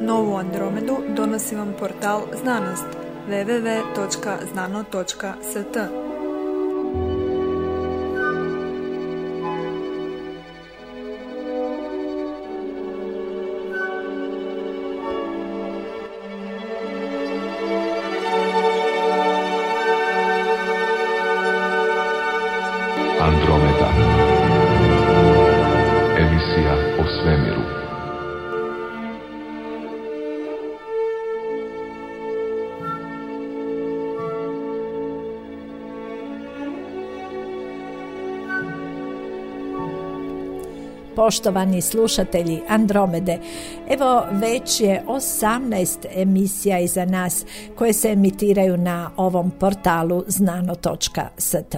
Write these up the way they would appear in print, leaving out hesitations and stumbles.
Novu Andromedu donosi vam portal Znanost www.znano.st. Andromeda. Emisija o svemiru. Poštovani slušatelji Andromede, evo već je 18 emisija iza nas koje se emitiraju na ovom portalu znano.st.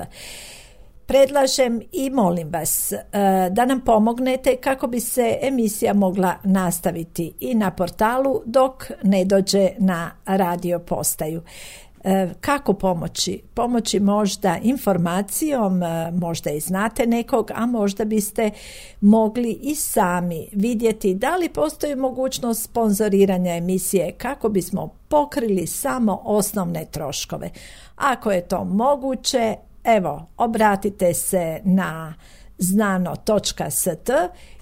Predlažem i molim vas da nam pomognete kako bi se emisija mogla nastaviti i na portalu dok ne dođe na radio postaju. Kako pomoći? Pomoći možda informacijom, možda i znate nekog, a možda biste mogli i sami vidjeti da li postoji mogućnost sponzoriranja emisije kako bismo pokrili samo osnovne troškove. Ako je to moguće, evo, obratite se na znano.st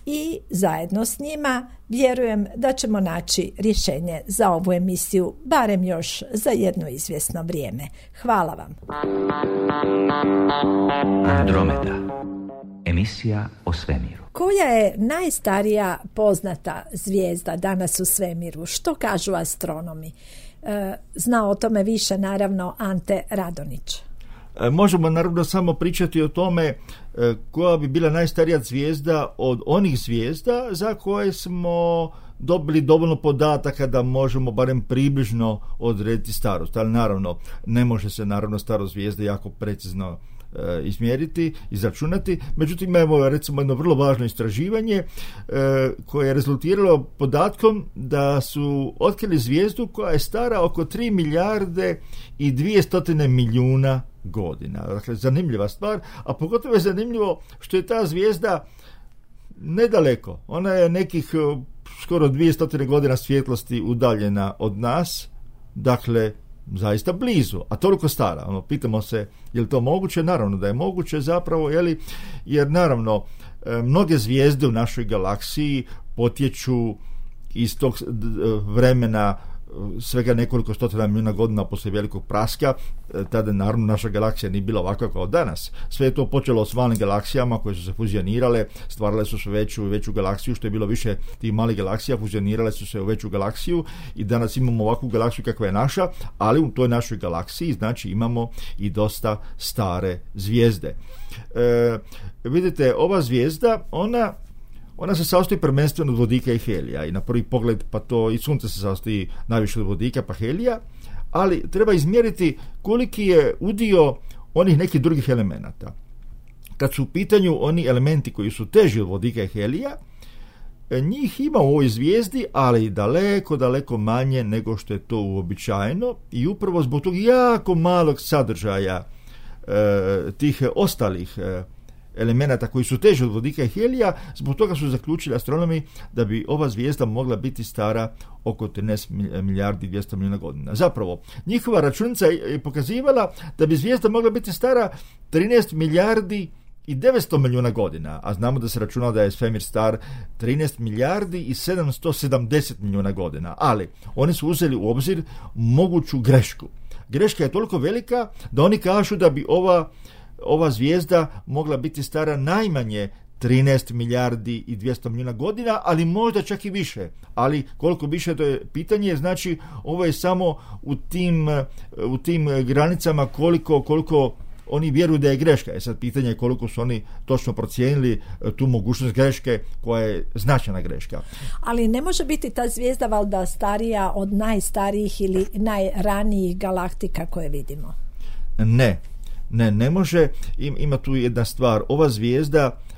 i zajedno s njima vjerujem da ćemo naći rješenje za ovu emisiju, barem još za jedno izvjesno vrijeme. Hvala vam. Andromeda. Emisija o svemiru. Koja je najstarija poznata zvijezda danas u svemiru? Što kažu astronomi? Zna o tome više naravno Ante Radonić. Možemo naravno samo pričati o tome koja bi bila najstarija zvijezda od onih zvijezda za koje smo dobili dovoljno podataka da možemo barem približno odrediti starost. Ali naravno, ne može se naravno starost zvijezde jako precizno izmjeriti, izračunati. Međutim, evo recimo jedno vrlo važno istraživanje koje je rezultiralo podatkom da su otkrili zvijezdu koja je stara oko 3 milijarde i 200 milijuna godina. Dakle, zanimljiva stvar, a pogotovo je zanimljivo što je ta zvijezda nedaleko. Ona je nekih skoro 200 godina svjetlosti udaljena od nas, dakle, zaista blizu, a toliko stara. Pitamo se, je li to moguće? Naravno da je moguće zapravo, jer naravno, mnoge zvijezde u našoj galaksiji potječu iz tog vremena svega nekoliko stotina milijuna godina poslije velikog praska. Tada naravno naša galaksija nije bila ovakva kao danas. Sve je to počelo s malim galaksijama koje su se fuzionirale, stvarale su se veću i veću galaksiju, što je bilo više tih malih galaksija, fuzionirale su se u veću galaksiju i danas imamo ovakvu galaksiju kakva je naša, ali u toj našoj galaksiji znači imamo i dosta stare zvijezde. Vidite, ova zvijezda, ona se sastoji prvenstveno od vodika i helija i na prvi pogled pa to i sunce se sastoji najviše od vodika pa helija, ali treba izmjeriti koliki je udio onih nekih drugih elemenata. Kad su u pitanju oni elementi koji su teži od vodika i helija, njih ima u ovoj zvijezdi, ali daleko, daleko manje nego što je to uobičajeno i upravo zbog tog jako malog sadržaja tih ostalih elemenata koji su teži od vodika i helija, zbog toga su zaključili astronomi da bi ova zvijezda mogla biti stara oko 13 milijardi i 200 milijuna godina. Zapravo, njihova računica je pokazivala da bi zvijezda mogla biti stara 13 milijardi i 900 milijuna godina, a znamo da se računalo da je svemir star 13 milijardi i 770 milijuna godina, ali oni su uzeli u obzir moguću grešku. Greška je toliko velika da oni kažu da bi ova zvijezda mogla biti stara najmanje 13 milijardi i 200 milijuna godina, ali možda čak i više. Ali koliko više, to je pitanje, znači ovo je samo u tim granicama koliko oni vjeruju da je greška. Sad pitanje je koliko su oni točno procijenili tu mogućnost greške koja je značajna greška. Ali ne može biti ta zvijezda valjda starija od najstarijih ili najranijih galaktika koje vidimo? Ne može. Ima tu jedna stvar.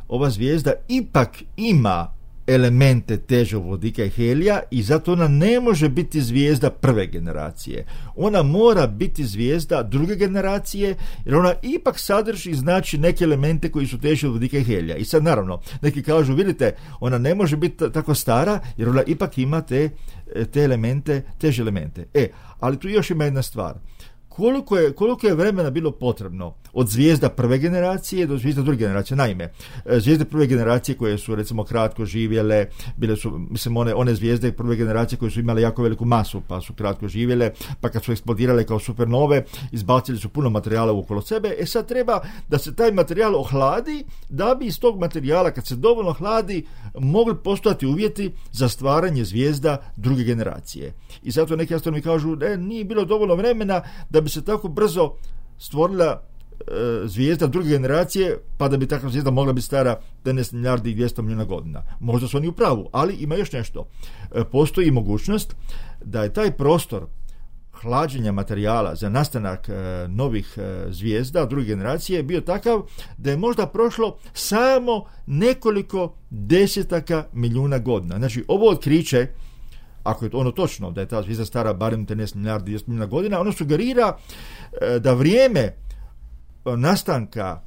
Ova zvijezda ipak ima elemente težeg vodika i helija i zato ona ne može biti zvijezda prve generacije. Ona mora biti zvijezda druge generacije jer ona ipak sadrži znači neke elemente koji su teži od vodika i helija. I sad naravno, neki kažu, vidite, ona ne može biti tako stara jer ona ipak ima te elemente, teže elemente. Ali tu još ima jedna stvar. Koliko je vremena bilo potrebno od zvijezda prve generacije do zvijezda druge generacije? Naime, zvijezde prve generacije koje su recimo kratko živjele, bile su, mislim, one zvijezde prve generacije koje su imale jako veliku masu pa su kratko živjele, pa kad su eksplodirale kao supernove, izbacili su puno materijala okolo sebe. Sad treba da se taj materijal ohladi, da bi iz tog materijala, kad se dovoljno hladi, mogli postojati uvjeti za stvaranje zvijezda druge generacije. I zato neki astronomi kažu da nije bilo dovoljno vremena da bi se tako brzo stvorila zvijezda druge generacije, pa da bi takva zvijezda mogla biti stara 15 milijardi i 200 milijuna godina. Možda su oni u pravu, ali ima još nešto. Postoji mogućnost da je taj prostor hlađenja materijala za nastanak novih zvijezda druge generacije bio takav da je možda prošlo samo nekoliko desetaka milijuna godina. Znači, ovo otkriće, ako je ono točno da je ta zvijezda stara barem 13 milijardi i 200 milijuna godina, ono sugerira da vrijeme nastanka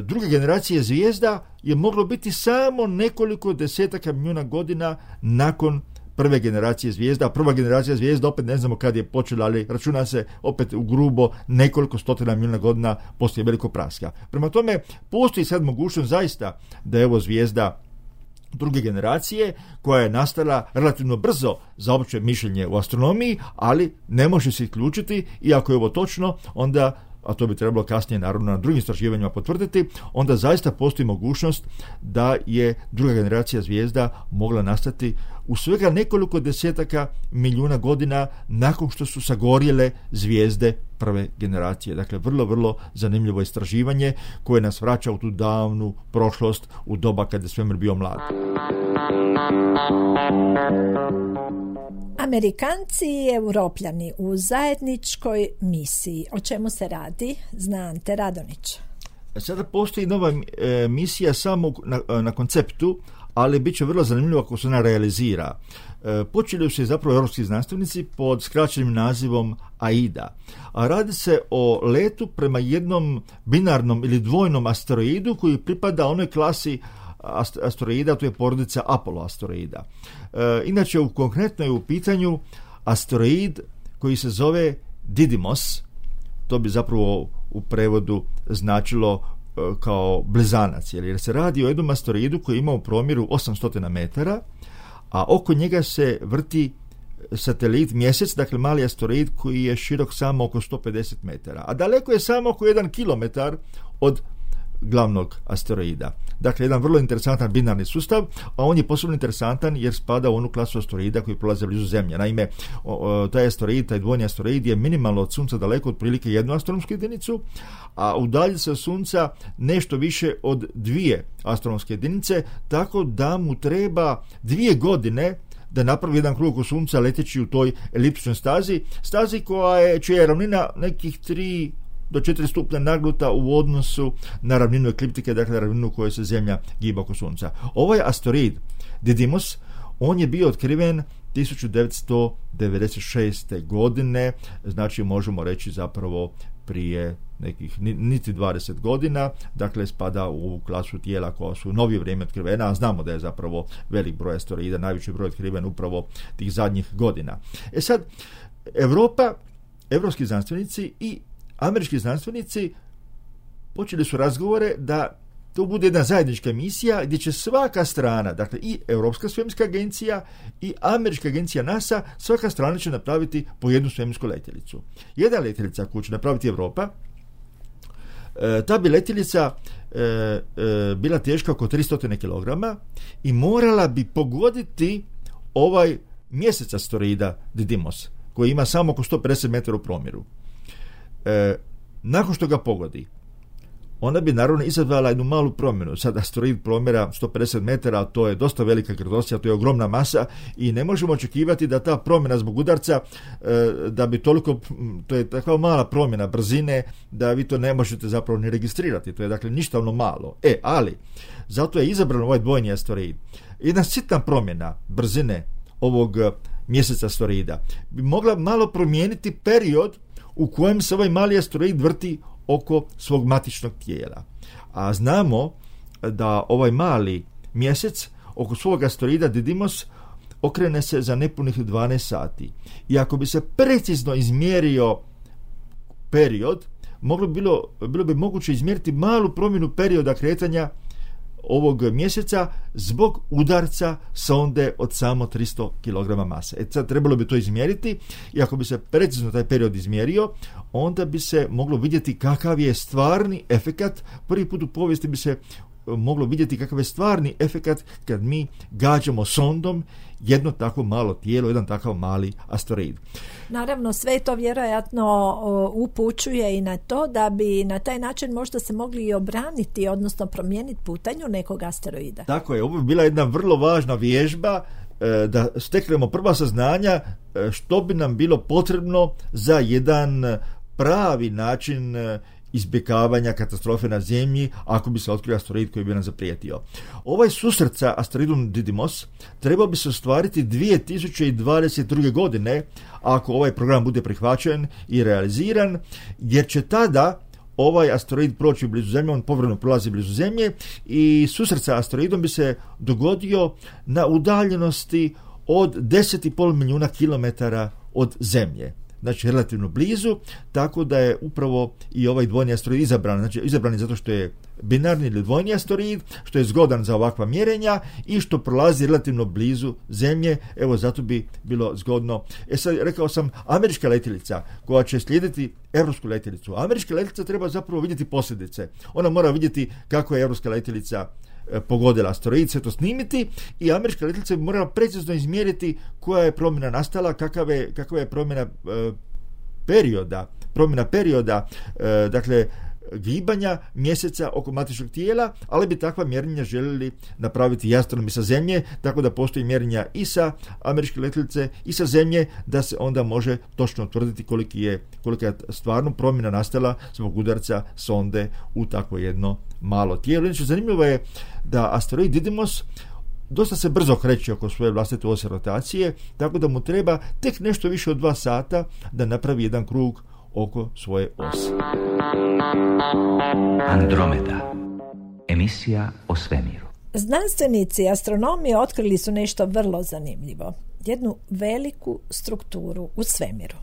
druge generacije zvijezda je moglo biti samo nekoliko desetaka milijuna godina nakon prve generacije zvijezda. Prva generacija zvijezda opet ne znamo kad je počela, ali računa se opet u grubo nekoliko stotina milijuna godina poslije velikog praska. Prema tome, postoji sad mogućnost zaista da je ovo zvijezda druge generacije koja je nastala relativno brzo za opće mišljenje u astronomiji, ali ne može se isključiti i ako je ovo točno, onda, a to bi trebalo kasnije naravno na drugim istraživanjima potvrditi, onda zaista postoji mogućnost da je druga generacija zvijezda mogla nastati u svega nekoliko desetaka milijuna godina nakon što su sagorjele zvijezde prve generacije. Dakle, vrlo, vrlo zanimljivo istraživanje koje nas vraća u tu davnu prošlost, u doba kada je svemir bio mlad. Amerikanci i Europljani u zajedničkoj misiji. O čemu se radi? Zna Ante Radonić. Sada postoji nova misija samo na konceptu, ali bit će vrlo zanimljivo ako se ona realizira. Počeli su se zapravo europski znanstvenici pod skraćenim nazivom AIDA. A radi se o letu prema jednom binarnom ili dvojnom asteroidu koji pripada onoj klasi asteroida, to je porodica Apollo asteroida. Inače, konkretno je u pitanju asteroid koji se zove Didymos. To bi zapravo u prevodu značilo kao blizanac, jer se radi o jednom asteroidu koji ima u promjeru 800 metara, a oko njega se vrti satelit Mjesec, dakle mali asteroid koji je širok samo oko 150 metara, a daleko je samo oko 1 kilometar od glavnog asteroida. Dakle, jedan vrlo interesantan binarni sustav, a on je posebno interesantan jer spada u onu klasu asteroida koji prolaze blizu Zemlje. Naime, taj asteroid, taj dvojni asteroid je minimalno od Sunca daleko, otprilike 1 astronomsku jedinicu, a udalji se od Sunca nešto više od 2 astronomske jedinice, tako da mu treba 2 godine da napravi jedan krug oko Sunca leteći u toj eliptičnoj stazi čija je ravnina nekih 3 do 4 stupnja nagnuta u odnosu na ravninu ekliptike, dakle ravninu u kojoj se Zemlja giba oko Sunca. Ovaj asteroid Didymos, on je bio otkriven 1996. godine, znači možemo reći zapravo prije nekih niti 20 godina, dakle spada u klasu tijela koja su u novije vrijeme otkrivena, a znamo da je zapravo velik broj asteroida, najveći broj otkriven upravo tih zadnjih godina. Sad, evropski znanstvenici i američki znanstvenici počeli su razgovore da to bude jedna zajednička misija gdje će svaka strana, dakle i Europska svemirska agencija i Američka agencija NASA, svaka strana će napraviti po jednu svemirsku letjelicu. Jedna letjelica koju će napraviti Europa, ta bi letjelica bila teška oko 300 kg i morala bi pogoditi ovaj mjesec asteroida Didymos, koji ima samo oko 150 metara u promjeru. Nakon što ga pogodi, ona bi naravno izazvala jednu malu promjenu. Sad asteroid promjera 150 metara, to je dosta velika gravitacija, to je ogromna masa i ne možemo očekivati da ta promjena zbog udarca, da bi toliko, to je takva mala promjena brzine da vi to ne možete zapravo ni registrirati. To je dakle ništavno malo. Ali, zato je izabran ovaj dvojni asteroid. Jedna sitna promjena brzine ovog mjeseca asteroida bi mogla malo promijeniti period u kojem se ovaj mali asteroid vrti oko svog matičnog tijela. A znamo da ovaj mali mjesec oko svog asteroida Didymos okrene se za nepunih 12 sati. I ako bi se precizno izmjerio period, bilo bi moguće izmjeriti malu promjenu perioda kretanja ovog mjeseca zbog udarca sonde od samo 300 kg mase. Sad trebalo bi to izmjeriti i ako bi se precizno taj period izmjerio, onda bi se moglo vidjeti kakav je stvarni efekat. Prvi put u povijesti bi se moglo vidjeti kakav je stvarni efekat kad mi gađamo sondom jedno tako malo tijelo, jedan takav mali asteroid. Naravno, sve to vjerojatno upućuje i na to da bi na taj način možda se mogli i obraniti, odnosno promijeniti putanju nekog asteroida. Tako je, ovo bi bila jedna vrlo važna vježba da steknemo prva saznanja što bi nam bilo potrebno za jedan pravi način izbjegavanja katastrofe na Zemlji ako bi se otkrio asteroid koji bi nam zaprijetio. Ovaj susret sa asteroidom Didymos trebao bi se ostvariti 2022. godine ako ovaj program bude prihvaćen i realiziran, jer će tada ovaj asteroid proći blizu Zemlje, on povremeno prolazi blizu Zemlje i susret sa asteroidom bi se dogodio na udaljenosti od 10,5 milijuna kilometara od Zemlje. Znači relativno blizu, tako da je upravo i ovaj dvojni asteroid izabran. Znači izabran je zato što je binarni ili dvojni asteroid, što je zgodan za ovakva mjerenja i što prolazi relativno blizu Zemlje. Evo, zato bi bilo zgodno. Sad rekao sam, američka letjelica koja će slijediti europsku letjelicu. Američka letjelica treba zapravo vidjeti posljedice. Ona mora vidjeti kako je europska letjelica pogodila asteroid, sve to snimiti i američka letjelica bi morala precizno izmjeriti koja je promjena nastala, kakva je promjena perioda, dakle gibanja mjeseca oko matičnog tijela, ali bi takva mjerenja željeli napraviti i astronomi sa Zemlje, tako da postoji mjerenja i sa američke letjelice i sa Zemlje, da se onda može točno utvrditi kolika je stvarno promjena nastala zbog udarca sonde u takvo jedno malo tijelo. Inače, zanimljivo je da asteroid Didymos dosta se brzo kreće oko svoje vlastite ose rotacije, tako da mu treba tek nešto više od 2 sata da napravi jedan krug oko svoje ose. Andromeda. Emisija o svemiru. Znanstvenici astronomi otkrili su nešto vrlo zanimljivo. Jednu veliku strukturu u svemiru.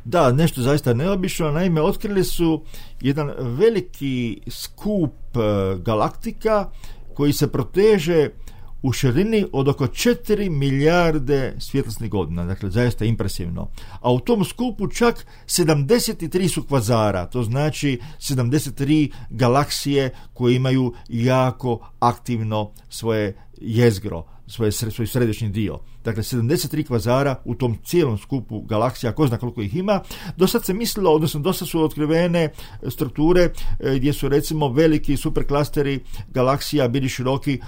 Da, nešto zaista neobično. Naime, otkrili su jedan veliki skup galaktika koji se proteže u širini od oko 4 milijarde svjetlosnih godina, dakle zaista impresivno. A u tom skupu čak 73 su kvazara, to znači 73 galaksije koje imaju jako aktivno svoje jezgro, svoj središnji dio. Dakle, 73 kvazara u tom cijelom skupu galaksija, ko zna koliko ih ima. Do sad se mislilo, odnosno dosta su otkrivene strukture gdje su recimo veliki superklasteri galaksija bili široki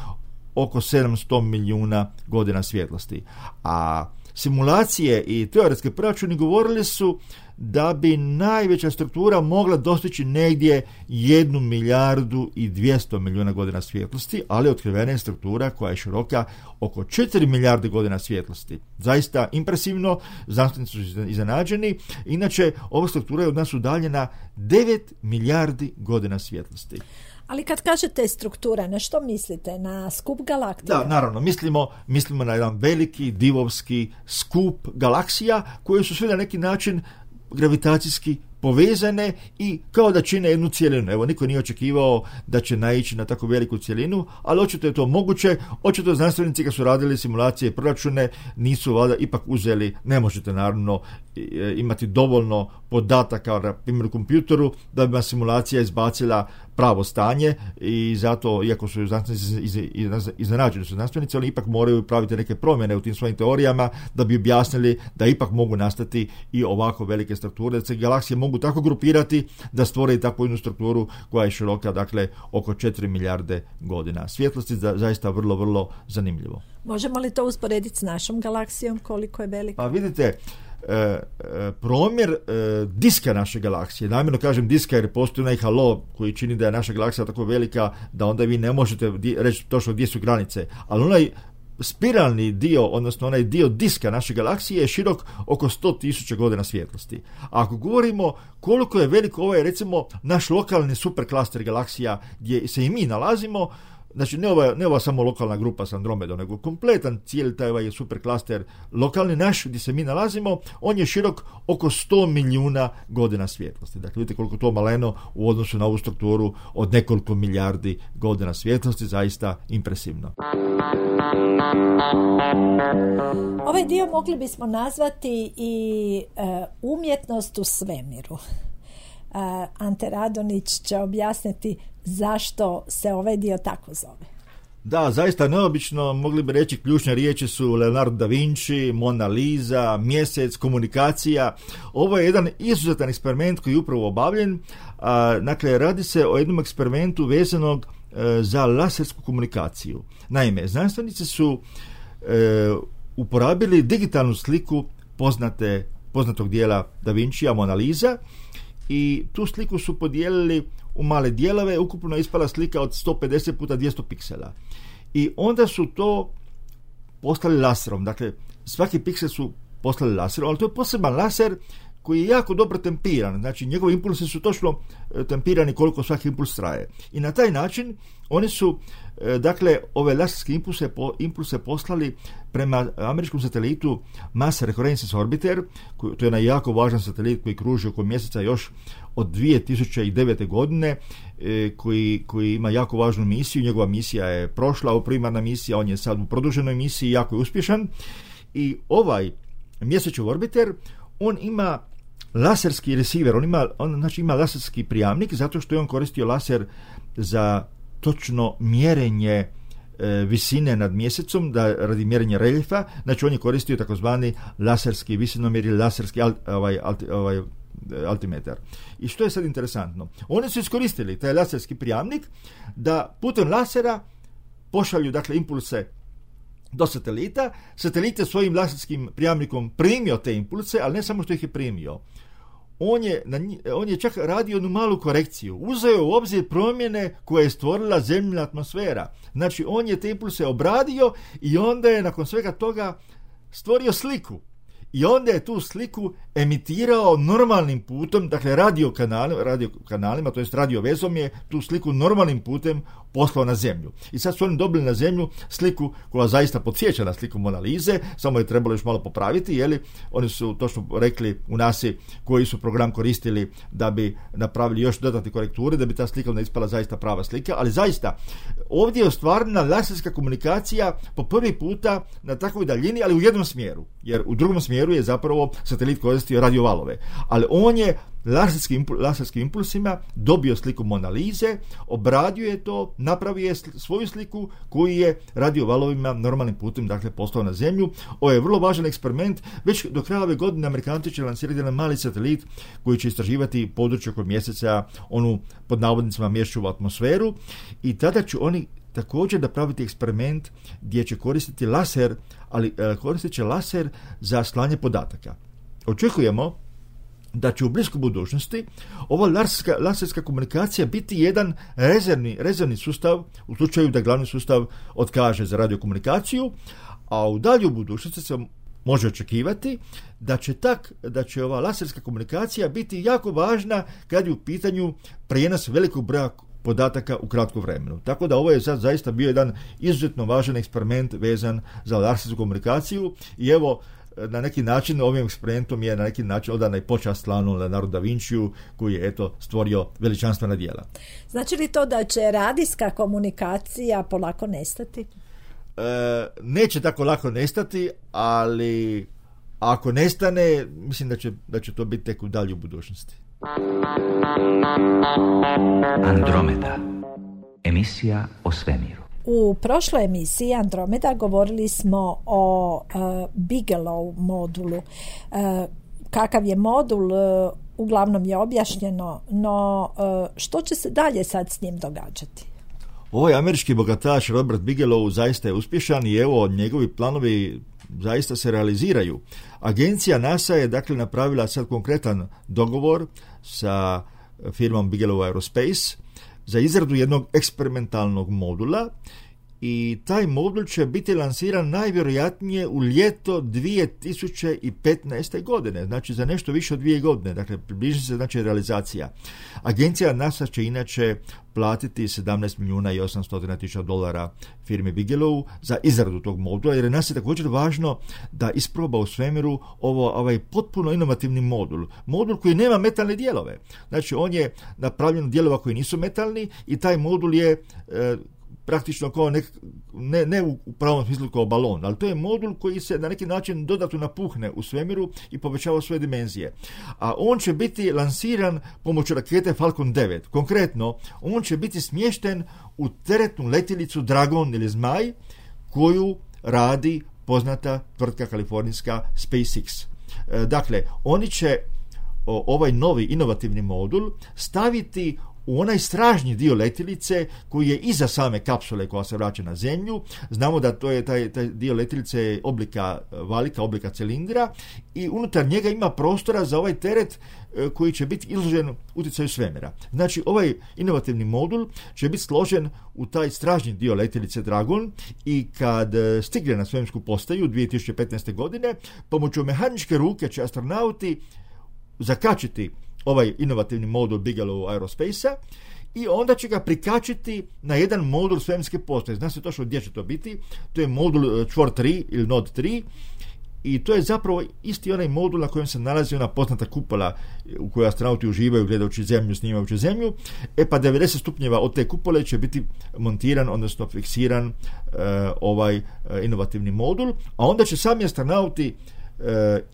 oko 700 milijuna godina svjetlosti. A simulacije i teoretske proračuni govorili su da bi najveća struktura mogla dostići negdje 1 milijardu i 200 milijuna godina svjetlosti, ali otkrivena je struktura koja je široka oko 4 milijarde godina svjetlosti. Zaista impresivno, znanstvenici su iznenađeni. Inače, ova struktura je od nas udaljena 9 milijardi godina svjetlosti. Ali kad kažete struktura, na što mislite? Na skup galaksija? Da, naravno, mislimo na jedan veliki divovski skup galaksija koje su sve na neki način gravitacijski povezane i kao da čine jednu cjelinu. Evo, niko nije očekivao da će naići na tako veliku cjelinu, ali očito je to moguće. Očito znanstvenici kad su radili simulacije i proračune nisu valjda ipak uzeli, ne možete naravno imati dovoljno podataka na primjer u kompjuteru da bi vam simulacija izbacila pravo stanje i zato, iako su znanstvenici iznenađeni su znanstvenici, oni ipak moraju praviti neke promjene u tim svojim teorijama da bi objasnili da ipak mogu nastati i ovako velike strukture, da se galaksije mogu mogu tako grupirati da stvore takvu jednu strukturu koja je široka, dakle, oko 4 milijarde godina svjetlosti. Zaista vrlo, vrlo zanimljivo. Možemo li to usporediti s našom galaksijom, koliko je velika? Pa vidite, promjer diska naše galaksije, namjerno kažem diska jer postoji onaj halo koji čini da je naša galaksija tako velika da onda vi ne možete reći točno gdje su granice, ali onaj spiralni dio, odnosno onaj dio diska naše galaksije je širok oko 100.000 godina svjetlosti. A ako govorimo koliko je veliko ovaj, recimo, naš lokalni superklaster galaksija gdje se i mi nalazimo, znači ne ova samo lokalna grupa s Andromedom, nego kompletan cijeli taj ovaj superklaster lokalni naš gdje se mi nalazimo, on je širok oko 100 milijuna godina svjetlosti. Dakle, vidite koliko to maleno u odnosu na ovu strukturu od nekoliko milijardi godina svjetlosti, zaista impresivno. Ovaj dio mogli bismo nazvati i umjetnost u svemiru. Ante Radonić će objasniti zašto se ovaj dio tako zove. Da, zaista neobično, mogli bi reći ključne riječi su Leonardo da Vinci, Mona Lisa, mjesec, komunikacija. Ovo je jedan izuzetan eksperiment koji je upravo obavljen. Dakle, radi se o jednom eksperimentu vezanog za lasersku komunikaciju. Naime, znanstvenici su uporabili digitalnu sliku poznatog dijela da Vincija, Mona Lisa, i tu sliku su podijelili u male dijelove, ukupno je ispala slika od 150 puta 200 piksela. I onda su to poslali laserom, dakle svaki piksel su poslali laserom, ali to je poseban laser koji je jako dobro tempiran, znači njegovi impulsi su točno tempirani koliko svaki impuls traje. I na taj način oni su, dakle, ove laserske impulse poslali prema američkom satelitu Mars Reconnaissance Orbiter, to je jedan jako važan satelit koji kruži oko mjeseca još od 2009. godine, koji ima jako važnu misiju. Njegova misija je prošla, u primarna misija, on je sad u produženoj misiji, jako je uspješan. I ovaj mjesečev orbiter, on ima laserski receiver, on ima laserski prijamnik, zato što je on koristio laser za točno mjerenje visine nad mjesecom, radi mjerenja reljefa. Znači on je koristio takozvani laserski visinomjer ili laserski altimetar. I što je sad interesantno? Oni su iskoristili taj laserski prijamnik da putem lasera pošalju, dakle, impulse do satelita. Satelit je svojim laserskim prijamnikom primio te impulse, ali ne samo što ih je primio. On je čak radio jednu malu korekciju. Uzeo u obzir promjene koje je stvorila zemljina atmosfera. Znači, on je te impulse obradio i onda je nakon svega toga stvorio sliku. I onda je tu sliku emitirao normalnim putem, dakle radiokanalima, to jest radiovezom je tu sliku normalnim putem poslao na zemlju. I sad su oni dobili na zemlju sliku koja zaista podsjeća na sliku Mona Lise, samo je trebalo još malo popraviti, jeli? Oni su točno rekli u NASA koji su program koristili da bi napravili još dodatne korekture, da bi ta slika onda ispala zaista prava slika, ali zaista ovdje je ostvarena laserska komunikacija po prvi puta na takvoj daljini, ali u jednom smjeru, jer u drugom smjeru je zapravo satelit koristio radiovalove, ali on je laserskim impulsima dobio sliku Mona Lise, obradio je to, napravio je svoju sliku koju je radiovalovima normalnim putem, dakle, poslao na zemlju. Ovo je vrlo važan eksperiment. Već do kraja ove godine Amerikanci će lansirati jedan mali satelit koji će istraživati područje oko mjeseca, onu pod navodnicima mjesečevu atmosferu, i tada će oni također napraviti eksperiment gdje će koristiti laser, ali koristit će laser za slanje podataka. Očekujemo da će u bliskoj budućnosti ova laserska komunikacija biti jedan rezervni sustav u slučaju da glavni sustav otkaže za radiokomunikaciju, a u daljoj budućnosti se može očekivati da će ova laserska komunikacija biti jako važna kad je u pitanju prijenos velikog broja podataka u kratkom vremenu. Tako da ovo je sad zaista bio jedan izuzetno važan eksperiment vezan za lasersku komunikaciju i evo, na neki način ovim eksperimentom je na neki način odana i počast slanu Leonardo da Vinciju koji je stvorio veličanstvena djela. Znači li to da će radijska komunikacija polako nestati? Neće tako lako nestati, ali ako nestane, mislim da će to biti tek u daljoj budućnosti. Andromeda. Emisija o svemiru. U prošloj emisiji Andromeda govorili smo o Bigelow modulu. Kakav je modul, uglavnom je objašnjeno, no što će se dalje sad s njim događati? Ovaj američki bogataš Robert Bigelow zaista je uspješan i evo njegovi planovi zaista se realiziraju. Agencija NASA je dakle napravila sad konkretan dogovor sa firmom Bigelow Aerospace za izradu jednog eksperimentalnog modula i taj modul će biti lansiran najvjerojatnije u ljeto 2015. godine, znači za nešto više od 2 godine, dakle približi se znači realizacija. Agencija NASA će inače platiti $17,800,000 firmi Bigelow za izradu tog modula, jer je NASA također važno da isproba u svemiru ovaj potpuno inovativni modul koji nema metalne dijelove. Znači on je napravljen od dijelova koji nisu metalni i taj modul je praktično kao ne u pravom smislu kao balon, ali to je modul koji se na neki način dodatno napuhne u svemiru i povećava svoje dimenzije. A on će biti lansiran pomoću rakete Falcon 9. Konkretno, on će biti smješten u teretnu letjelicu Dragon ili Zmaj, koju radi poznata tvrtka kalifornijska SpaceX. Dakle, oni će ovaj novi inovativni modul staviti u onaj stražnji dio letjelice koji je iza same kapsule koja se vraća na zemlju. Znamo da to je taj dio letjelice oblika valika, oblika cilindra i unutar njega ima prostora za ovaj teret koji će biti izložen utjecaju svemira. Znači ovaj inovativni modul će biti složen u taj stražnji dio letjelice Dragon i kad stigne na svemirsku postaju 2015. godine, pomoću mehaničke ruke će astronauti zakačiti ovaj inovativni modul Bigelow Aerospace-a i onda će ga prikačiti na jedan modul svemirske postaje. Zna se točno gdje će to biti. To je modul čvor 3 ili Nod 3 i to je zapravo isti onaj modul na kojem se nalazi ona poznata kupola u kojoj astronauti uživaju gledajući zemlju, snimajući zemlju. Pa 90 stupnjeva od te kupole će biti montiran, odnosno fiksiran ovaj inovativni modul, a onda će sami astronauti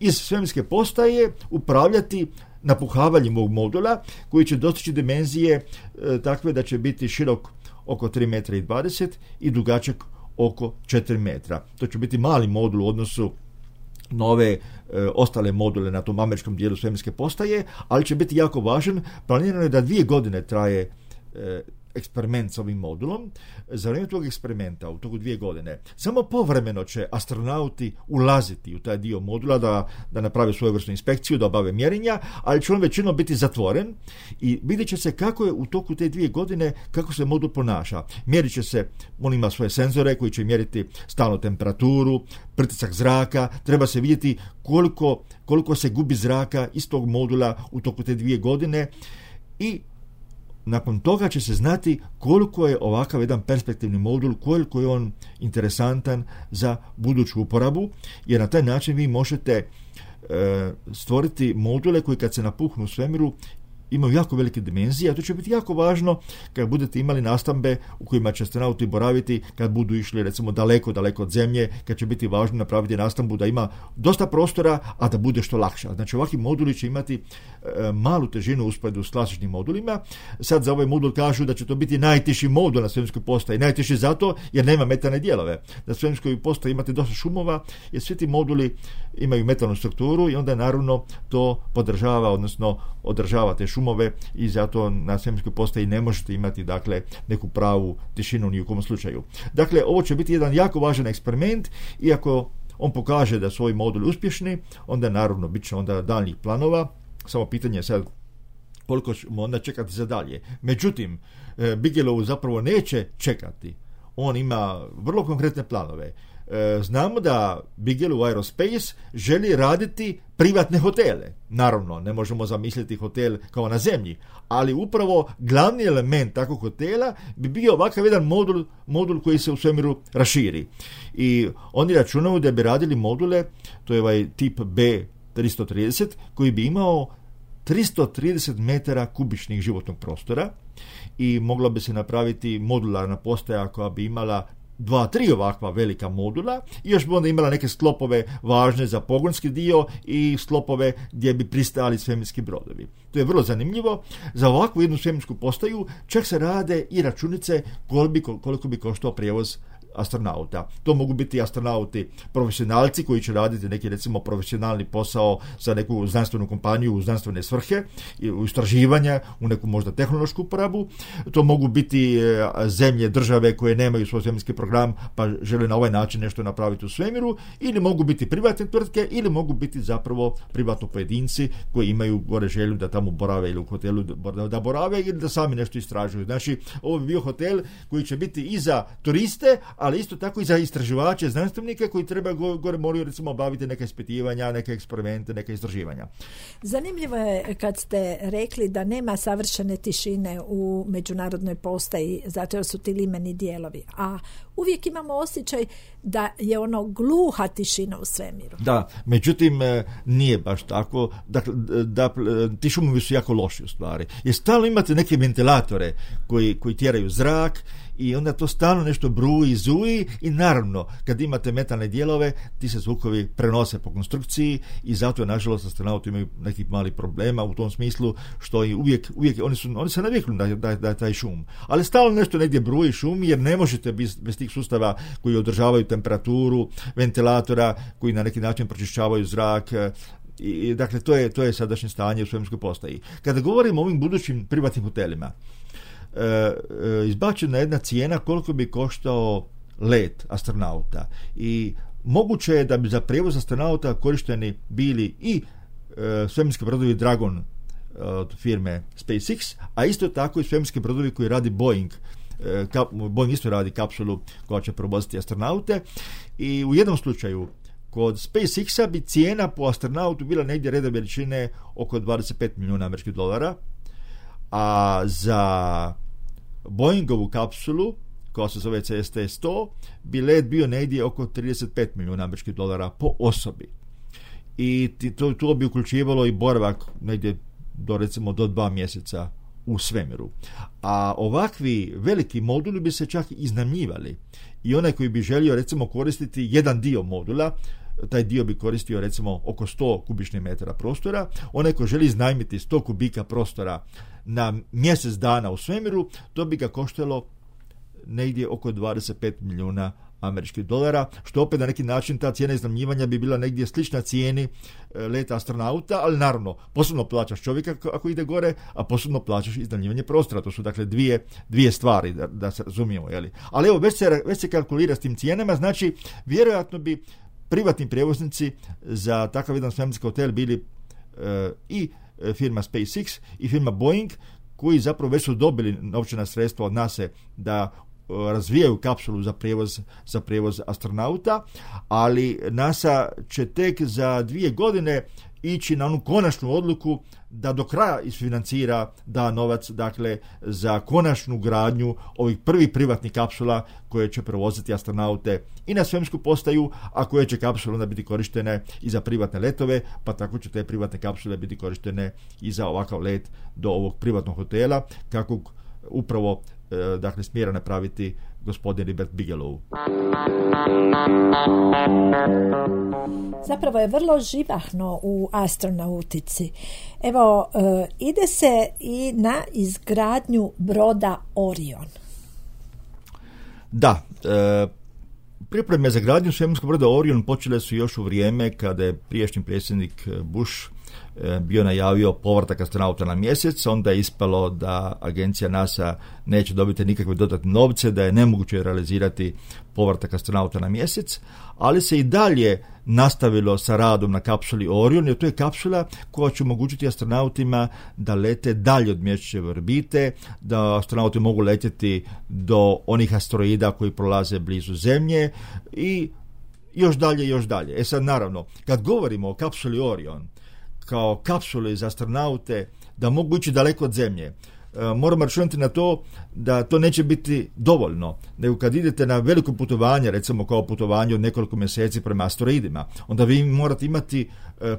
iz svemirske postaje upravljati napuhavanjem ovog modula koji će dostići dimenzije takve da će biti širok oko 3,20 m i dugačak oko 4 metra. To će biti mali modul u odnosu na ove ostale module na tom američkom dijelu svemirske postaje, ali će biti jako važan. Planirano je da 2 godine traje eksperiment s ovim modulom. Za vrijeme tog eksperimenta u toku 2 godine samo povremeno će astronauti ulaziti u taj dio modula da naprave svojevrsnu inspekciju, da obave mjerenja, ali će on većinom biti zatvoren i vidjet će se kako je u toku te 2 godine kako se modul ponaša. Mjerit će se, on ima svoje senzore koji će mjeriti stalnu temperaturu, pritisak zraka, treba se vidjeti koliko se gubi zraka iz tog modula u toku te 2 godine i nakon toga će se znati koliko je ovakav jedan perspektivni modul, koliko je on interesantan za buduću uporabu, jer na taj način vi možete stvoriti module koji kad se napuhnu u svemiru imaju jako velike dimenzije, a to će biti jako važno kad budete imali nastambe u kojima će astronauti boraviti kad budu išli recimo daleko od zemlje, kad će biti važno napraviti nastambu da ima dosta prostora, a da bude što lakša. Znači ovakvi moduli će imati malu težinu u usporedbi s klasičnim modulima. Sad za ovaj modul kažu da će to biti najteži modul na svemirskoj postaji. Najteži zato jer nema metalne dijelove. Na svemirskoj postaji imate dosta šumova jer svi ti moduli imaju metalnu strukturu i onda naravno to podržava, odnosno održava te šumove i zato na svemirskoj postaji ne možete imati dakle neku pravu tišinu ni u kom slučaju. Dakle, ovo će biti jedan jako važan eksperiment i ako on pokaže da su ovi moduli uspješni, onda naravno bit će onda daljnjih planova. Samo pitanje je sad koliko ćemo onda čekati za dalje. Međutim, Bigelow zapravo neće čekati. On ima vrlo konkretne planove. Znamo da Bigelow Aerospace želi raditi privatne hotele. Naravno, ne možemo zamisliti hotel kao na zemlji, ali upravo glavni element takvog hotela bi bio ovakav jedan modul koji se u svemiru raširi. I oni računaju da bi radili module, to je ovaj tip B330, koji bi imao 330 metara kubičnih životnog prostora i mogla bi se napraviti modularna postaja koja bi imala 2-3 ovakva velika modula i još bi onda imala neke sklopove važne za pogonski dio i sklopove gdje bi pristali svemirski brodovi. To je vrlo zanimljivo. Za ovakvu jednu svemirsku postaju čak se rade i računice koliko bi koštao prijevoz astronauta. To mogu biti astronauti profesionalci koji će raditi neki recimo profesionalni posao za neku znanstvenu kompaniju u znanstvene svrhe, u istraživanja, u neku možda tehnološku uporabu. To mogu biti zemlje, države koje nemaju svoj svemirski program pa žele na ovaj način nešto napraviti u svemiru, ili mogu biti privatne tvrtke, ili mogu biti zapravo privatno pojedinci koji imaju gore želju da tamo borave ili u hotelu da borave ili da sami nešto istražuju. Znači, ovo bi bio hotel koji će biti i za turiste, ali isto tako i za istraživače, znanstvenike koji treba gore moraju recimo obaviti neke ispitivanja, neke eksperimente, neke istraživanja. Zanimljivo je kad ste rekli da nema savršene tišine u međunarodnoj postaji, zato jer su ti limeni dijelovi, a uvijek imamo osjećaj da je ono gluha tišina u svemiru. Da, međutim nije baš tako. Dakle, ti šumovi su jako loši u stvari. Jer stalno imate neke ventilatore koji tjeraju zrak i onda to stalno nešto bruji, zuji i naravno kad imate metalne dijelove ti se zvukovi prenose po konstrukciji i zato je nažalost astronauti imaju nekih malih problema u tom smislu što i uvijek oni se naviknu da taj šum. Ali stalno nešto negdje bruji, šumi jer ne možete bez tih sustava koji održavaju temperaturu, ventilatora koji na neki način pročišćavaju zrak. I dakle to je sadašnje stanje u svemirskoj postaji. Kada govorimo o ovim budućim privatnim hotelima, izbačena jedna cijena koliko bi koštao let astronauta i moguće je da bi za prijevoz astronauta korišteni bili i svemirski brodovi Dragon od firme SpaceX, a isto tako i svemirski brodovi koji radi Boeing. Boeing isto radi kapsulu koja će provoziti astronaute i u jednom slučaju kod SpaceX-a bi cijena po astronautu bila negdje reda veličine oko $25 milijuna, a za Boeingovu kapsulu koja se zove CST-100 bi let bio negdje oko $35 milijuna po osobi. I to bi uključivalo i boravak negdje do 2 mjeseca u svemiru. A ovakvi veliki moduli bi se čak iznajmljivali i onaj koji bi želio recimo koristiti jedan dio modula, taj dio bi koristio recimo oko 100 kubičnih metara prostora. Onaj ko želi iznajmiti 100 kubika prostora na mjesec dana u svemiru, to bi ga koštalo negdje oko $25 milijuna, što opet na neki način ta cijena iznajmljivanja bi bila negdje slična cijeni leta astronauta, ali naravno posebno plaćaš čovjeka ako ide gore, a posebno plaćaš iznajmljivanje prostora. To su dakle dvije stvari da se razumijemo. Jeli? Ali evo već se kalkulira s tim cijenama, znači vjerojatno bi privatni prijevoznici za takav jedan svemirski hotel bili i firma SpaceX i firma Boeing, koji zapravo već su dobili novčana sredstva od NASA da razvijaju kapsulu za prijevoz astronauta, ali NASA će tek za 2 godine ići na onu konačnu odluku da do kraja isfinancira, da novac dakle za konačnu gradnju ovih prvih privatnih kapsula koje će prevoziti astronaute i na svemirsku postaju, a koje će kapsule onda biti korištene i za privatne letove, pa tako će te privatne kapsule biti korištene i za ovakav let do ovog privatnog hotela, kako upravo dakle smjera napraviti gospodin Robert Bigelow. Zapravo je vrlo živahno u astronautici. Evo, ide se i na izgradnju broda Orion. Da, pripreme za gradnju svemirskog broda Orion počele su još u vrijeme kada je prijašnji predsjednik Bush bio najavio povratak astronauta na mjesec. Onda je ispalo da agencija NASA neće dobiti nikakve dodatne novce, da je nemoguće realizirati povratak astronauta na mjesec, ali se i dalje nastavilo sa radom na kapsuli Orion, jer to je kapsula koja će omogućiti astronautima da lete dalje od mjesečeve orbite, da astronauti mogu letjeti do onih asteroida koji prolaze blizu Zemlje i još dalje. Sad naravno, kad govorimo o kapsuli Orion kao kapsuli za astronaute da mogu ići daleko od Zemlje, moramo računati na to da to neće biti dovoljno, nego kad idete na veliko putovanje, recimo kao putovanje od nekoliko mjeseci prema asteroidima, onda vi morate imati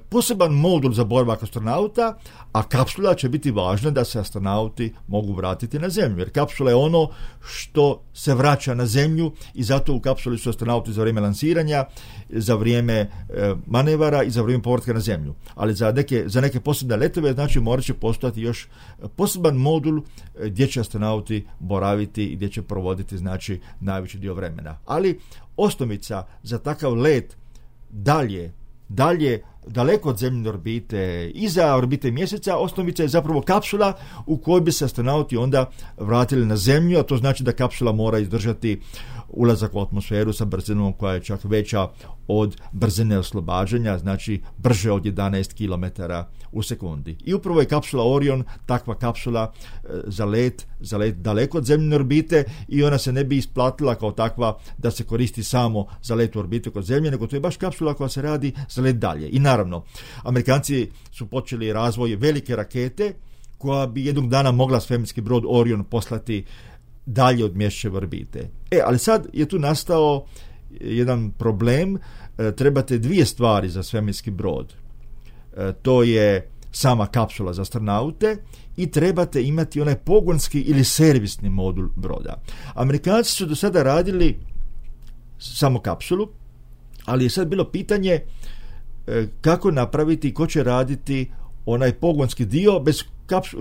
poseban modul za boravak astronauta, a kapsula će biti važna da se astronauti mogu vratiti na Zemlju, jer kapsula je ono što se vraća na Zemlju i zato u kapsuli su astronauti za vrijeme lansiranja, za vrijeme manevara i za vrijeme povratka na Zemlju. Ali za neke posebne letove znači morat će postojati još poseban modul modul gdje će astronauti boraviti i gdje će provoditi znači najveći dio vremena. Ali osnovica za takav let dalje, daleko od zemljine orbite, iza orbite mjeseca, osnovica je zapravo kapsula u kojoj bi se astronauti onda vratili na zemlju, a to znači da kapsula mora izdržati ulazak u atmosferu sa brzinom koja je čak veća od brzine oslobađanja, znači brže od 11 km u sekundi. I upravo je kapsula Orion takva kapsula za let daleko od zemljine orbite i ona se ne bi isplatila kao takva da se koristi samo za let u orbitu kod zemlje, nego to je baš kapsula koja se radi za let dalje. I naravno, Amerikanci su počeli razvoj velike rakete koja bi jednog dana mogla svemirski brod Orion poslati dalje od mjesečeve orbite. Ali sad je tu nastao jedan problem, trebate dvije stvari za svemirski brod. To je sama kapsula za astronaute i trebate imati onaj pogonski ili servisni modul broda. Amerikanci su do sada radili samo kapsulu, ali je sad bilo pitanje kako napraviti, ko će raditi onaj pogonski dio. Bez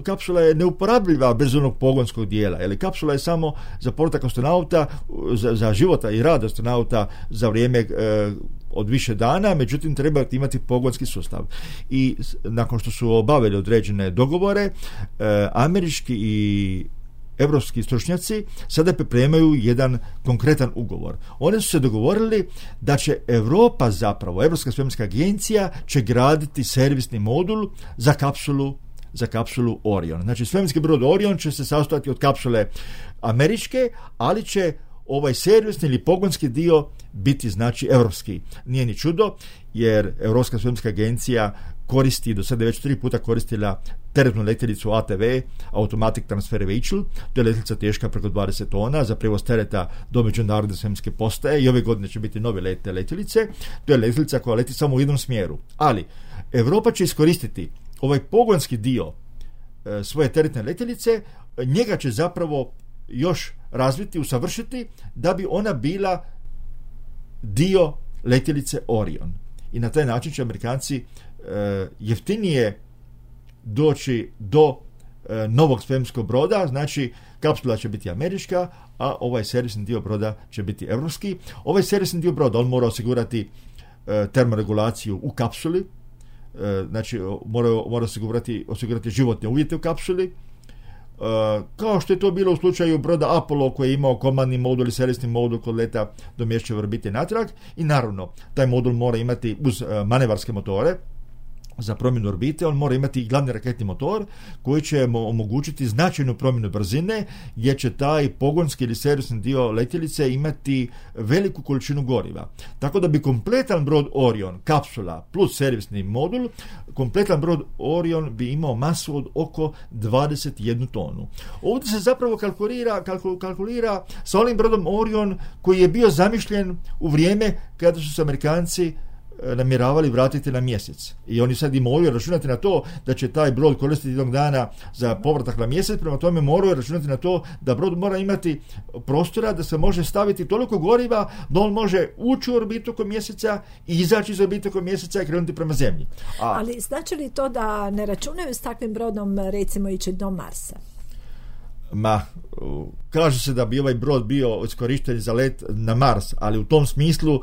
kapsula je neuporabljiva bez onog pogonskog dijela, jer kapsula je samo za povratak astronauta, za života i rad astronauta za vrijeme od više dana, međutim treba imati pogonski sustav. I nakon što su obavili određene dogovore, američki i evropski stručnjaci sada pripremaju jedan konkretan ugovor. Oni su se dogovorili da će Europa zapravo, Europska svemirska agencija će graditi servisni modul za kapsulu Orion. Znači svemirski brod Orion će se sastojati od kapsule američke, ali će ovaj servisni ili pogonski dio biti znači europski. Nije ni čudo, jer Europska svemirska agencija koristi, do sada već 3 puta koristila teretnu letjelicu ATV, Automatic Transfer Vehicle. To je letjelica teška preko 20 tona za prijevoz tereta do međunarodne svemirske postaje i ove godine će biti nove lete letjelice. To je letjelica koja leti samo u jednom smjeru. Ali Europa će iskoristiti ovaj pogonski dio svoje teretne letjelice, njega će zapravo još razviti, usavršiti da bi ona bila dio letjelice Orion. I na taj način će Amerikanci jeftinije doći do novog svemirskog broda, znači kapsula će biti američka, a ovaj servisni dio broda će biti evropski. Ovaj servisni dio broda, on mora osigurati termoregulaciju u kapsuli, znači mora osigurati životne uvjete u kapsuli, kao što je to bilo u slučaju broda Apollo koji je imao komandni modul i servisni modul kod leta do mjesečeve orbite natrag. I naravno, taj modul mora imati uz manevarske motore za promjenu orbite, on mora imati i glavni raketni motor koji će mu omogućiti značajnu promjenu brzine, gdje će taj pogonski ili servisni dio letjelice imati veliku količinu goriva. Tako da bi kompletan brod Orion, kapsula plus servisni modul, kompletan brod Orion bi imao masu od oko 21 tonu. Ovdje se zapravo kalkulira sa onim brodom Orion koji je bio zamišljen u vrijeme kada su se Amerikanci namjeravali vratiti na mjesec. I oni sad i moraju računati na to da će taj brod koristiti jednog dana za povratak na mjesec, prema tome moraju računati na to da brod mora imati prostora da se može staviti toliko goriva da on može ući u orbitu oko mjeseca i izaći iz orbite oko mjeseca i krenuti prema zemlji. Ali znači li to da ne računaju s takvim brodom recimo ići do Marsa? Kaže se da bi ovaj brod bio iskorišten za let na Mars, ali u tom smislu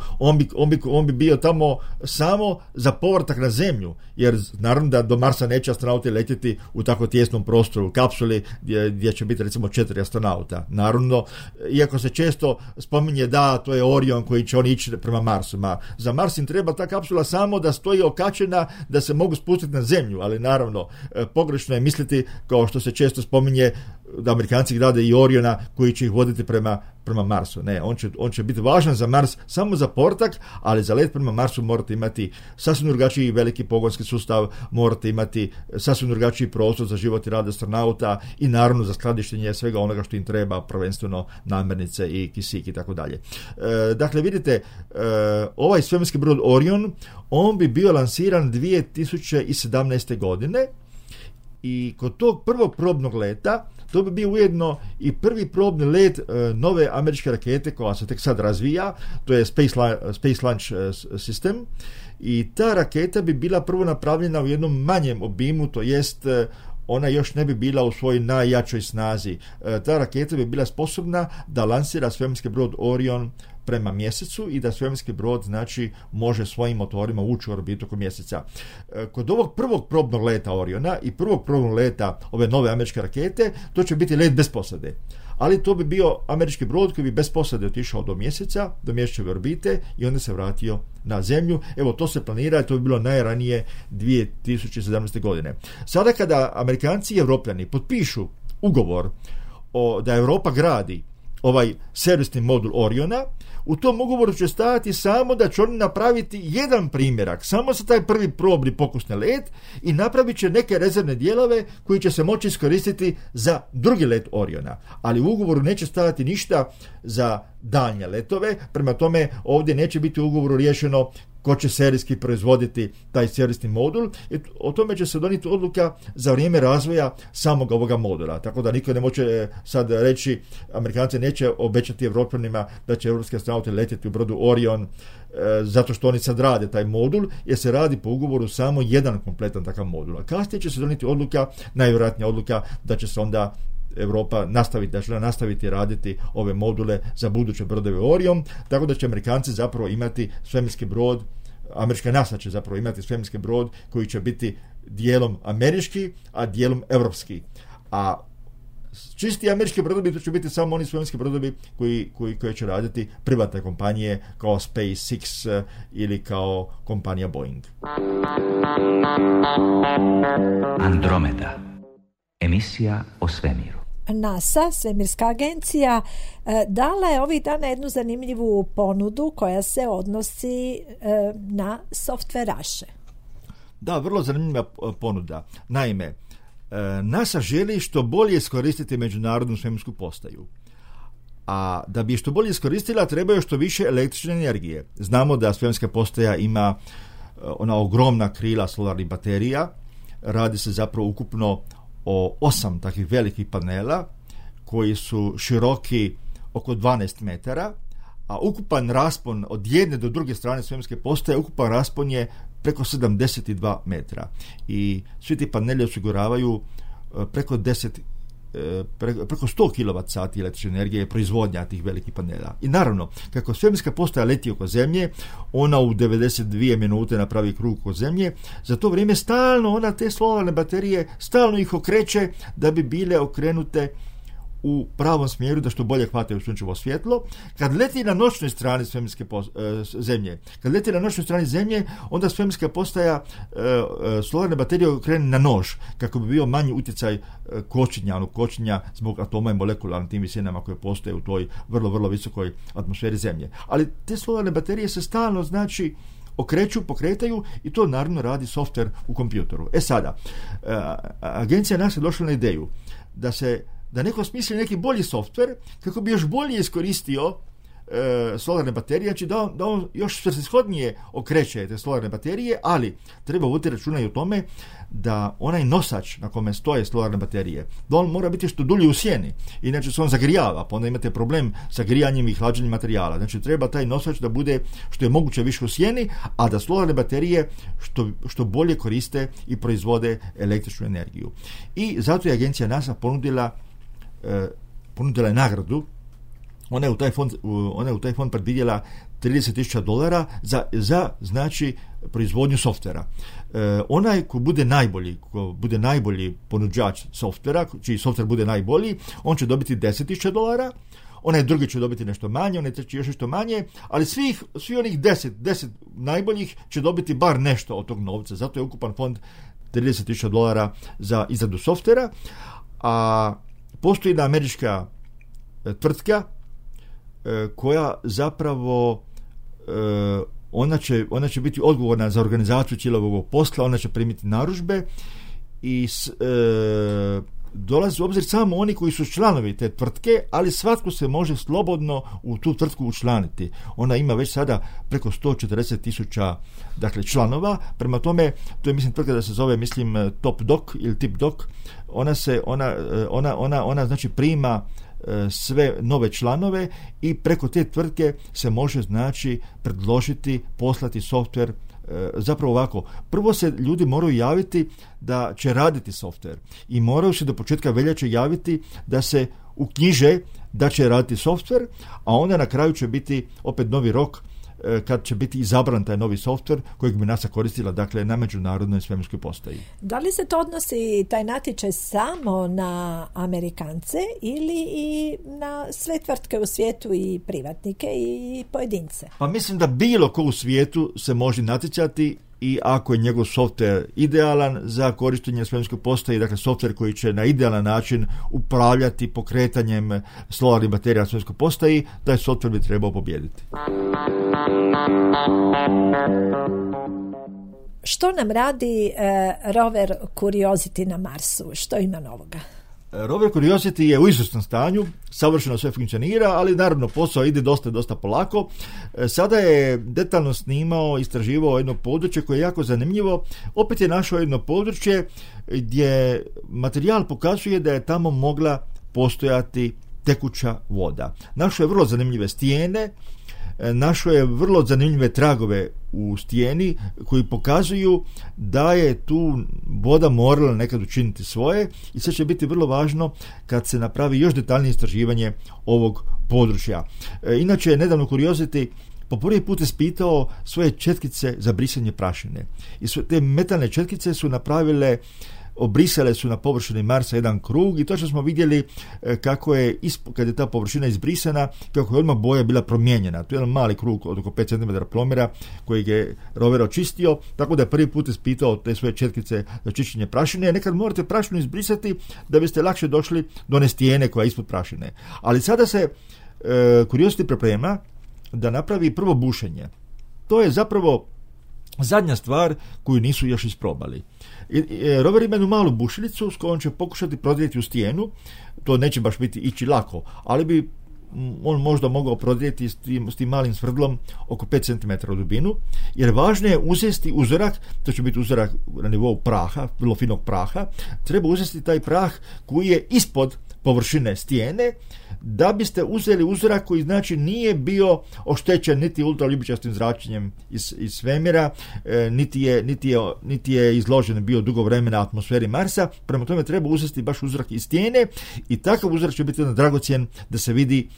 on bi bio tamo samo za povratak na Zemlju, jer naravno da do Marsa neće astronauti letjeti u tako tijesnom prostoru, u kapsuli gdje će biti recimo 4 astronauta. Naravno, iako se često spominje da to je Orion koji će oni ići prema Marsu. Za Mars im treba ta kapsula samo da stoji okačena da se mogu spustiti na Zemlju, ali naravno pogrešno je misliti, kao što se često spominje, da Amerikanci grade i Oriona koji će ih voditi prema Marsu. Ne, on će biti važan za Mars samo za povratak, ali za let prema Marsu morate imati sasvim drugačiji veliki pogonski sustav, morate imati sasvim drugačiji prostor za život i rad astronauta i naravno za skladištenje svega onoga što im treba, prvenstveno namirnice i kisik i tako dalje. Dakle, vidite, ovaj svemirski brod Orion, on bi bio lansiran 2017. godine i kod tog prvog probnog leta to bi bio ujedno i prvi probni let nove američke rakete koja se tek sad razvija, to je Space Launch System, i ta raketa bi bila prvo napravljena u jednom manjem obimu, to jest ona još ne bi bila u svojoj najjačoj snazi. Ta raketa bi bila sposobna da lansira svemirski brod Orion prema mjesecu i da svemirski brod znači može svojim motorima ući u orbitu oko mjeseca. Kod ovog prvog probnog leta Oriona i prvog probnog leta ove nove američke rakete, to će biti let bez posade. Ali to bi bio američki brod koji bi bez posade otišao do mjeseca, do mjesečeve orbite i onda se vratio na zemlju. Evo, to se planira i to bi bilo najranije 2017. godine. Sada kada Amerikanci i Evropljani potpišu ugovor da Europa gradi ovaj servisni modul Oriona, u tom ugovoru će stajati samo da će oni napraviti jedan primjerak, samo za taj prvi probni pokusni let i napravit će neke rezervne dijelove koji će se moći iskoristiti za drugi let Oriona. Ali u ugovoru neće stajati ništa za daljnje letove, prema tome ovdje neće biti u ugovoru riješeno ko će serijski proizvoditi taj serijski modul i o tome će se donijeti odluka za vrijeme razvoja samog ovoga modula. Tako da niko ne može sad reći, Amerikanci neće obećati Evropljanima da će evropski astronauti letjeti u brodu Orion zato što oni sad rade taj modul, jer se radi po ugovoru samo jedan kompletan takav modul. A kasnije će se donijeti odluka, najvjerojatnija odluka, da će se onda Europa nastaviti raditi ove module za buduće brodove Orion, tako da će Amerikanci zapravo imati svemirski brod, američka NASA će zapravo imati svemirski brod koji će biti dijelom američki, a dijelom evropski. A čisti američki brodovi, to će biti samo oni svemirski brodovi koji će raditi privatne kompanije kao SpaceX ili kao kompanija Boeing. Andromeda. Emisija o svemiru. NASA, svemirska agencija, dala je ovih dana jednu zanimljivu ponudu koja se odnosi na softveraše. Da, vrlo zanimljiva ponuda. Naime, NASA želi što bolje iskoristiti međunarodnu svemirsku postaju. A da bi što bolje iskoristila, treba što više električne energije. Znamo da svemirska postaja ima ona ogromna krila solarnih baterija. Radi se zapravo ukupno o 8 takvih velikih panela koji su široki oko 12 metara, a ukupan raspon od jedne do druge strane svemirske postaje, ukupan raspon je preko 72 metra. I svi ti paneli osiguravaju preko 100 kWh električne energije proizvodnja tih velikih panela. I naravno, kako svemirska postaja leti oko Zemlje, ona u 92 minute napravi krug oko Zemlje, za to vrijeme stalno ona te solarne baterije stalno ih okreće da bi bile okrenute u pravom smjeru, da što bolje hvataju sunčevo svjetlo. Kad leti na noćnoj strani svemirske Zemlje, onda svemirska postaja solarne baterije okrene na nož, kako bi bio manji utjecaj kočenja zbog atoma i molekula na tim visinama koje postoje u toj vrlo, vrlo visokoj atmosferi Zemlje. Ali te solarne baterije se stalno okreću, pokretaju i to naravno radi softver u kompjutoru. Sada, agencija NASA je došla na ideju da neko smisli neki bolji softver kako bi još bolje iskoristio solarne baterije, znači da on još svrsishodnije okreće te solarne baterije, ali treba voditi računa i o tome da onaj nosač na kome stoje solarne baterije, da on mora biti što dulje u sjeni, inače se on zagrijava, pa onda imate problem sa grijanjem i hlađenjem materijala. Znači treba taj nosač da bude što je moguće više u sjeni, a da solarne baterije što bolje koriste i proizvode električnu energiju. I zato je agencija NASA ponudila je nagradu. Ona je u taj fond predvidjela $30,000 za znači proizvodnju softvera. Onaj ko bude najbolji ponuđač softvera, čiji softver bude najbolji, on će dobiti $10,000, onaj drugi će dobiti nešto manje, onaj treći još nešto manje, ali svi onih 10 najboljih će dobiti bar nešto od tog novca. Zato je ukupan fond $30,000 za izradu softvera, a postoji jedna američka tvrtka koja zapravo ona će biti odgovorna za organizaciju cijelog ovog posla, ona će primiti narudžbe i dolazi u obzir samo oni koji su članovi te tvrtke, ali svatko se može slobodno u tu tvrtku učlaniti. Ona ima već sada preko 140,000 članova, prema tome to je tvrtka da se zove Top Doc ili Tip Doc. Ona znači prima sve nove članove i preko te tvrtke se može znači predložiti, poslati softver zapravo ovako, prvo se ljudi moraju javiti da će raditi softver i moraju se do početka veljače javiti da se uknjiže da će raditi softver, a onda na kraju će biti opet novi rok kad će biti izabran taj novi softver kojeg bi NASA koristila, dakle, na međunarodnoj svemirskoj postaji. Da li se to odnosi taj natječaj samo na Amerikance ili i na sve tvrtke u svijetu i privatnike i pojedince? Pa mislim da bilo ko u svijetu se može natjecati i ako je njegov softver idealan za korištenje svemirske postaje, dakle softver koji će na idealan način upravljati pokretanjem solarnih baterija na svemirskoj postaji, taj softver bi trebao pobijediti. Što nam radi rover Curiosity na Marsu? Što ima novoga? Rover Curiosity je u izvrsnom stanju, savršeno sve funkcionira, ali naravno posao ide dosta polako. Sada je detaljno snimao, istraživao jedno područje koje je jako zanimljivo. Opet je našao jedno područje gdje materijal pokazuje da je tamo mogla postojati tekuća voda. Našao je vrlo zanimljive stijene, našao je vrlo zanimljive tragove u stijeni koji pokazuju da je tu voda morala nekad učiniti svoje i sad će biti vrlo važno kad se napravi još detaljnije istraživanje ovog područja. Inače je nedavno Curiosity po prvi put ispitao svoje četkice za brisanje prašine i te metalne četkice su obrisale su na površini Marsa jedan krug i točno smo vidjeli kako je, kad je ta površina izbrisana, kako je odmah boja bila promijenjena. To je jedan mali krug od oko 5 cm promjera kojeg je rover očistio, tako da je prvi put ispitao te svoje četkice za čišćenje prašine. Nekad morate prašinu izbrisati da biste lakše došli do one stijene koja je ispod prašine. Ali sada se Curiosity priprema da napravi prvo bušenje. To je zapravo zadnja stvar koju nisu još isprobali. Rover ima jednu malu bušilicu s kojom će pokušati prodrijeti u stijenu. To neće baš biti ići lako, ali bi on možda mogao prodrijeti s tim malim svrdlom oko 5 cm u dubinu, jer važno je uzeti uzorak, to će biti uzorak na nivou praha, vrlo finog praha, treba uzeti taj prah koji je ispod površine stijene, da biste uzeli uzorak koji znači nije bio oštećen niti ultraljubičastim zračenjem iz svemira, niti je izložen bio dugo vremena atmosferi Marsa. Prema tome treba uzeti baš uzorak iz stijene i takav uzorak će biti dragocjen da se vidi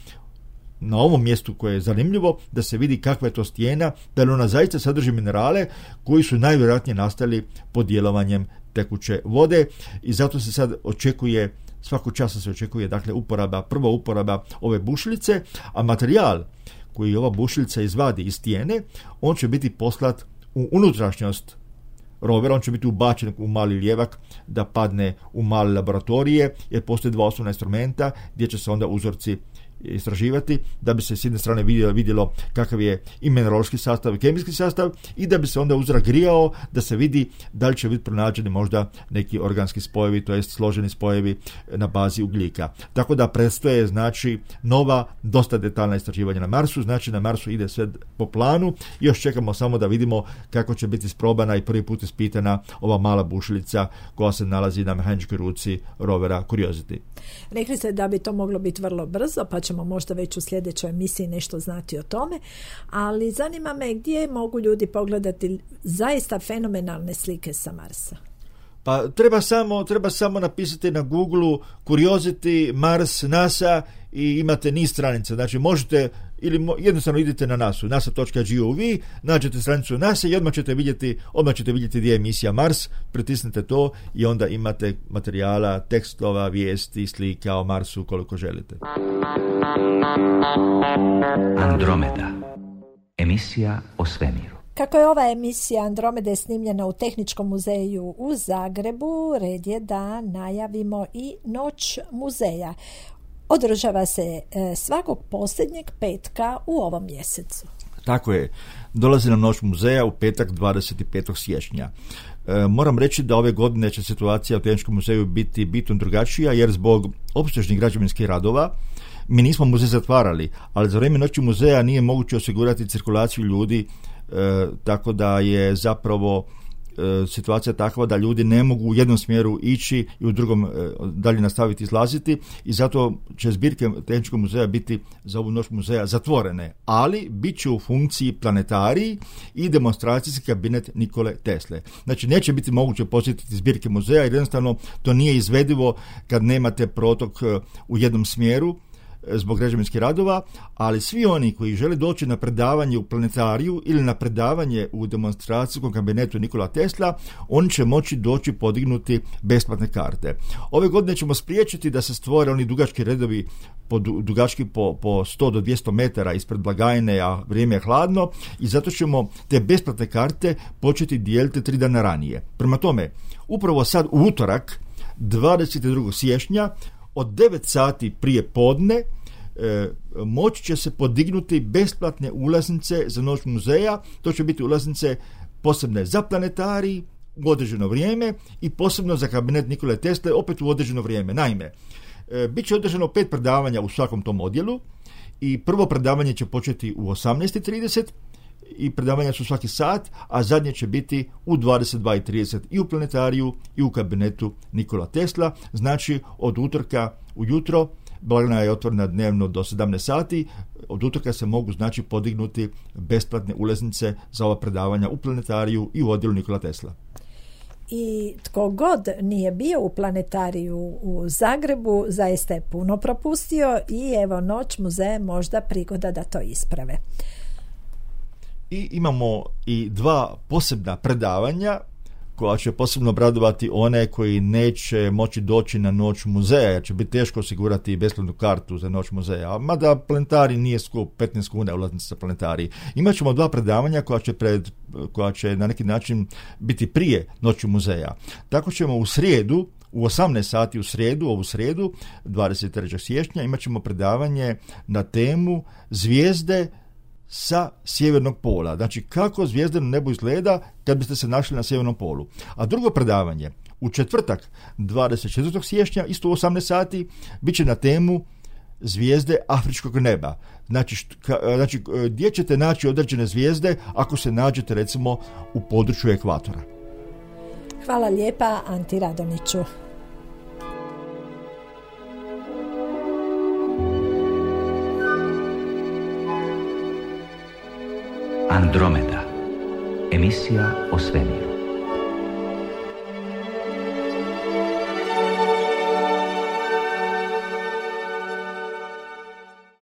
na ovom mjestu koje je zanimljivo, da se vidi kakva je to stijena, da li ona zaista sadrži minerale koji su najvjerojatnije nastali pod djelovanjem tekuće vode i zato se sad očekuje, svakog časa se očekuje, dakle, prva uporaba ove bušilice, a materijal koji ova bušilica izvadi iz stijene, on će biti poslat u unutrašnjost rovera, on će biti ubačen u mali lijevak da padne u male laboratorije, jer postoje dva osnovna instrumenta gdje će se onda uzorci istraživati, da bi se s jedne strane vidjelo kakav je i mineraloški sastav i kemijski sastav i da bi se onda uzorak grijao da se vidi da li će biti pronađeni možda neki organski spojevi, to jest složeni spojevi na bazi ugljika. Tako da predstoje, znači, nova, dosta detaljna istraživanja na Marsu, znači na Marsu ide sve po planu i još čekamo samo da vidimo kako će biti isprobana i prvi put ispitana ova mala bušilica koja se nalazi na mehaničkoj ruci rovera Curiosity. Rekli ste da bi to moglo biti vrlo brzo, pa ćemo možda već u sljedećoj emisiji nešto znati o tome, ali zanima me gdje mogu ljudi pogledati zaista fenomenalne slike sa Marsa. Pa treba samo napisati na Google Curiosity, Mars, NASA i imate niz stranica. Znači možete ili jednostavno idete na nasa.gov, nađete stranicu NASA i odmah ćete vidjeti gdje je emisija Mars, pritisnete to i onda imate materijala, tekstova, vijesti, slika o Marsu koliko želite. Andromeda. Emisija o svemiru. Kako je ova emisija Andromede snimljena u Tehničkom muzeju u Zagrebu, red je da najavimo i Noć muzeja. Održava se svakog posljednjeg petka u ovom mjesecu. Tako je. Dolazi nam Noć muzeja u petak 25. siječnja. Moram reći da ove godine će situacija u Tehničkom muzeju biti bitno drugačija, jer zbog opsežnih građevinskih radova mi nismo muzej zatvarali, ali za vrijeme Noći muzeja nije moguće osigurati cirkulaciju ljudi, tako da je zapravo situacija takva da ljudi ne mogu u jednom smjeru ići i u drugom dalje nastaviti izlaziti i zato će zbirke Tehničkog muzeja biti za ovu noć muzeja zatvorene, ali bit će u funkciji planetariji i demonstracijski kabinet Nikole Tesle. Znači neće biti moguće posjetiti zbirke muzeja jer jednostavno to nije izvedivo kad nemate protok u jednom smjeru zbog građevinskih radova, ali svi oni koji žele doći na predavanje u planetariju ili na predavanje u demonstracijskom kabinetu Nikola Tesla, oni će moći doći podignuti besplatne karte. Ove godine ćemo spriječiti da se stvore oni dugački redovi dugački po 100 do 200 metara ispred blagajne, a vrijeme je hladno i zato ćemo te besplatne karte početi dijeliti 3 dana ranije. Prema tome, upravo sad u utorak 22. siječnja od 9 sati prije podne moći će se podignuti besplatne ulaznice za noć muzeja. To će biti ulaznice posebne za planetarij u određeno vrijeme i posebno za kabinet Nikole Tesle opet u određeno vrijeme. Naime, bit će održano 5 predavanja u svakom tom odjelu i prvo predavanje će početi u 18:30 i predavanja su svaki sat, a zadnje će biti u 22:30 i u planetariju i u kabinetu Nikola Tesla. Znači od utorka ujutro, blagajna je otvorena dnevno do 17 sati, od utorka se mogu znači podignuti besplatne ulaznice za ova predavanja u planetariju i u odjelu Nikola Tesla. I tko god nije bio u planetariju u Zagrebu zaista je puno propustio i evo noć muzeja možda prigoda da to isprave. I imamo i 2 posebna predavanja koja će posebno obradovati one koji neće moći doći na noć muzeja, jer će biti teško osigurati besplatnu kartu za noć muzeja. Mada planetarij nije skup, 15 kuna ulaznica za planetarij. Imat ćemo 2 predavanja koja će na neki način biti prije noći muzeja. Tako ćemo u srijedu, u 18 sati ovu srijedu, 23. siječnja, imat ćemo predavanje na temu zvijezde sa sjevernog pola. Znači kako zvijezda na nebu izgleda kad biste se našli na sjevernom polu. A drugo predavanje u četvrtak 24. siječnja isto u 18 sati bit će na temu zvijezde afričkog neba. Znači gdje ćete naći određene zvijezde ako se nađete recimo u području ekvatora. Hvala lijepa Anti Radoniću. Andromeda. Emisija o svemiru.